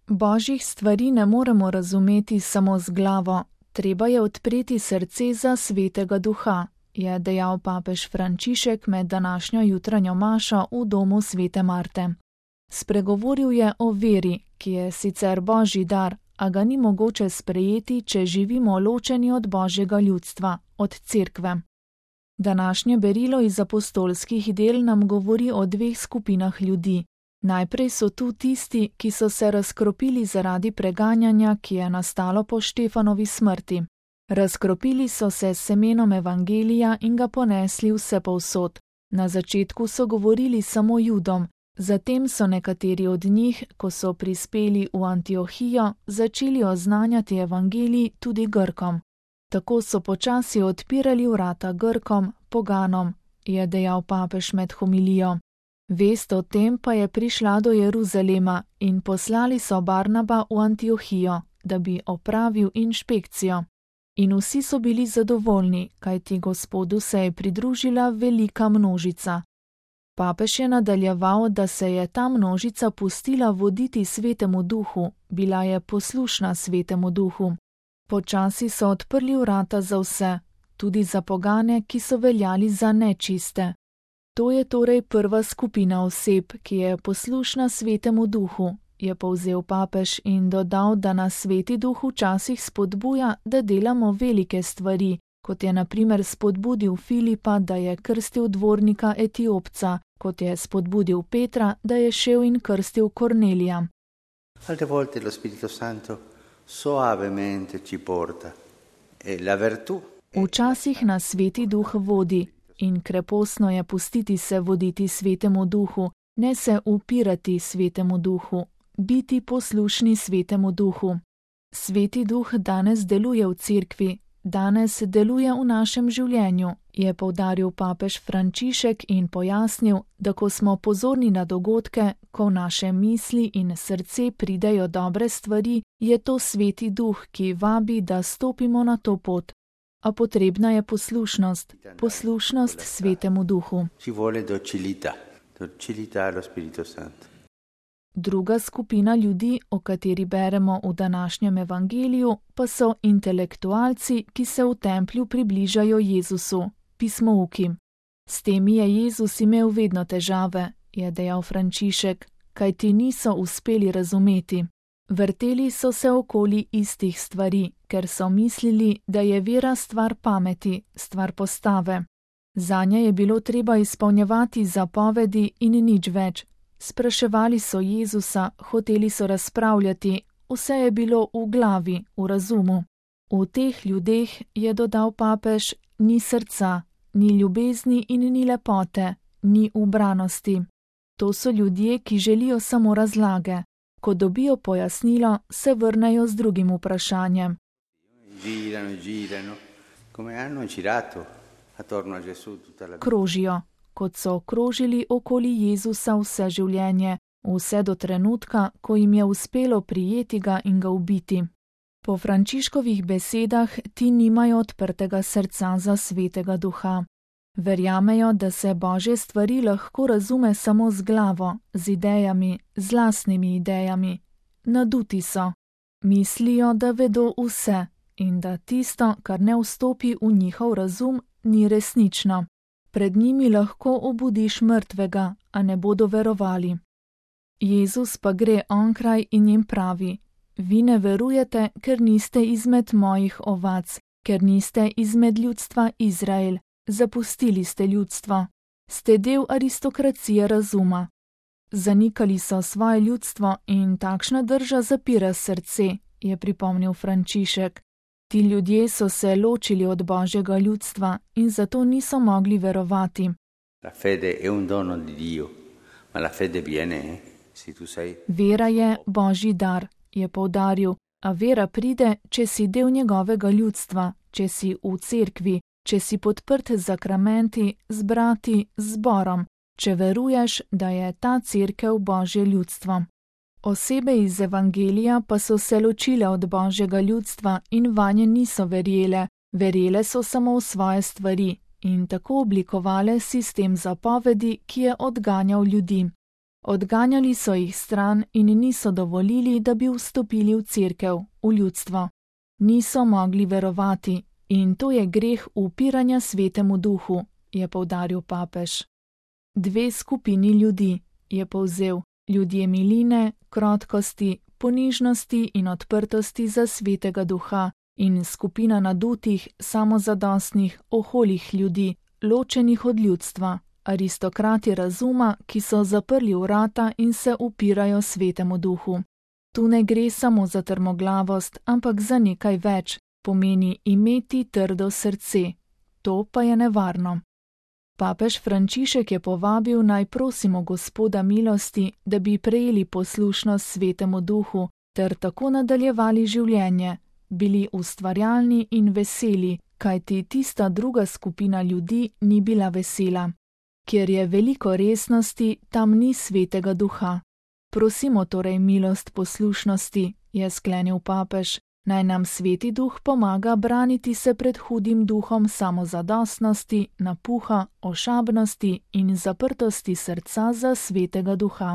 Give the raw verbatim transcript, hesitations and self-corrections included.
Božjih stvari ne moremo razumeti samo z glavo, treba je odpreti srce za Svetega Duha, je dejal papež Frančišek med današnjo jutranjo mašo v domu svete Marte. Spregovoril je o veri, ki je sicer Božji dar, a ga ni mogoče sprejeti, če živimo ločeni od Božjega ljudstva, od Cerkve. Današnje berilo iz apostolskih del nam govori o dveh skupinah ljudi. Najprej so tu tisti, ki so se razkropili zaradi preganjanja, ki je nastalo po Štefanovi smrti. Razkropili so se s semenom evangelija in ga ponesli vsepovsod. Na začetku so govorili samo Judom, zatem so nekateri od njih, ko so prispeli v Antiohijo, začeli oznanjati evangelij tudi Grkom. Tako so počasi odpirali vrata Grkom, poganom, je dejal papež med homilijo. Vest o tem pa je prišla do Jeruzalema in poslali so Barnaba v Antiohijo, da bi opravil inšpekcijo. In vsi so bili zadovoljni, kajti Gospodu se je pridružila velika množica. Papež je nadaljeval, da se je ta množica pustila voditi Svetemu Duhu, bila je poslušna Svetemu Duhu. Počasi so odprli vrata za vse, tudi za pogane, ki so veljali za nečiste. To je torej prva skupina oseb, ki je poslušna Svetemu Duhu, je povzel papež in dodal, da nas Sveti Duh včasih spodbuja, da delamo velike stvari, kot je na primer spodbudil Filipa, da je krstil dvornika Etiopca, kot je spodbudil Petra, da je šel in krstil Kornelija. Altre volte lo Spirito Santo soavemente ci porta e la virtù. Včasih nas Sveti Duh vodi in krepostno je pustiti se voditi Svetemu Duhu, ne se upirati Svetemu Duhu, biti poslušni Svetemu Duhu. Sveti Duh danes deluje v Cerkvi, danes deluje v našem življenju, je poudaril papež Frančišek in pojasnil, da ko smo pozorni na dogodke, ko v naše misli in srce pridejo dobre stvari, je to Sveti Duh, ki vabi, da stopimo na to pot. A potrebna je poslušnost, poslušnost Svetemu Duhu. Ci vuole docilità, docilità allo Spirito Santo. Druga skupina ljudi, o kateri beremo v današnjem evangeliju, pa so intelektualci, ki se v templju približajo Jezusu, pismouki. S temi je Jezus imel vedno težave, je dejal Frančišek, kajti niso uspeli razumeti. Vrteli so se okoli istih stvari, ker so mislili, da je vera stvar pameti, stvar postave. Zanje je bilo treba izpolnjevati zapovedi in nič več. Spraševali so Jezusa, hoteli so razpravljati, vse je bilo v glavi, v razumu. V teh ljudeh, je dodal papež, ni srca, ni ljubezni in ni lepote, ni ubranosti. To so ljudje, ki želijo samo razlage. Ko dobijo pojasnilo, se vrnejo z drugim vprašanjem. Krožijo, kot so krožili okoli Jezusa vse življenje, vse do trenutka, ko jim je uspelo prijeti ga in ga ubiti. Po Frančiškovih besedah ti nimajo odprtega srca za Svetega Duha. Verjamejo, da se Božje stvari lahko razume samo z glavo, z idejami, z lastnimi idejami. Naduti so. Mislijo, da vedo vse in da tisto, kar ne vstopi v njihov razum, ni resnično. Pred njimi lahko obudiš mrtvega, a ne bodo verovali. Jezus pa gre onkraj in jim pravi: Vi ne verujete, ker niste izmed mojih ovac, ker niste izmed ljudstva Izrael. Zapustili ste ljudstvo. Ste del aristokracije razuma. Zanikali so svoje ljudstvo in takšna drža zapira srce, je pripomnil Frančišek. Ti ljudje so se ločili od Božjega ljudstva in zato niso mogli verovati. La fede è un dono di Dio, ma la fede viene, se tu sei... Vera je Božji dar, je poudaril, a vera pride, če si del njegovega ljudstva, če si v cerkvi, če si podprt z zakramenti, z brati, z zborom, če veruješ, da je ta cerkev Božje ljudstvo. Osebe iz evangelija pa so se ločile od Božjega ljudstva in vanje niso verjele, verjele so samo v svoje stvari in tako oblikovale sistem zapovedi, ki je odganjal ljudi. Odganjali so jih stran in niso dovolili, da bi vstopili v cerkev, v ljudstvo. Niso mogli verovati in to je greh upiranja Svetemu Duhu, je poudaril papež. Dve skupini ljudi, je povzel, ljudje miline, krotkosti, ponižnosti in odprtosti za Svetega Duha in skupina nadutih, samozadostnih, oholih ljudi, ločenih od ljudstva, aristokrati razuma, ki so zaprli vrata in se upirajo Svetemu Duhu. Tu ne gre samo za trmoglavost, ampak za nekaj več, pomeni imeti trdo srce. To pa je nevarno. Papež Frančišek je povabil, naj prosimo Gospoda milosti, da bi prejeli poslušnost Svetemu Duhu ter tako nadaljevali življenje, bili ustvarjalni in veseli, kajti tista druga skupina ljudi ni bila vesela. Kjer je veliko resnosti, tam ni Svetega Duha. Prosimo torej milost poslušnosti, je sklenil papež, naj nam Sveti Duh pomaga braniti se pred hudim duhom samozadostnosti, napuha, ošabnosti in zaprtosti srca za Svetega Duha.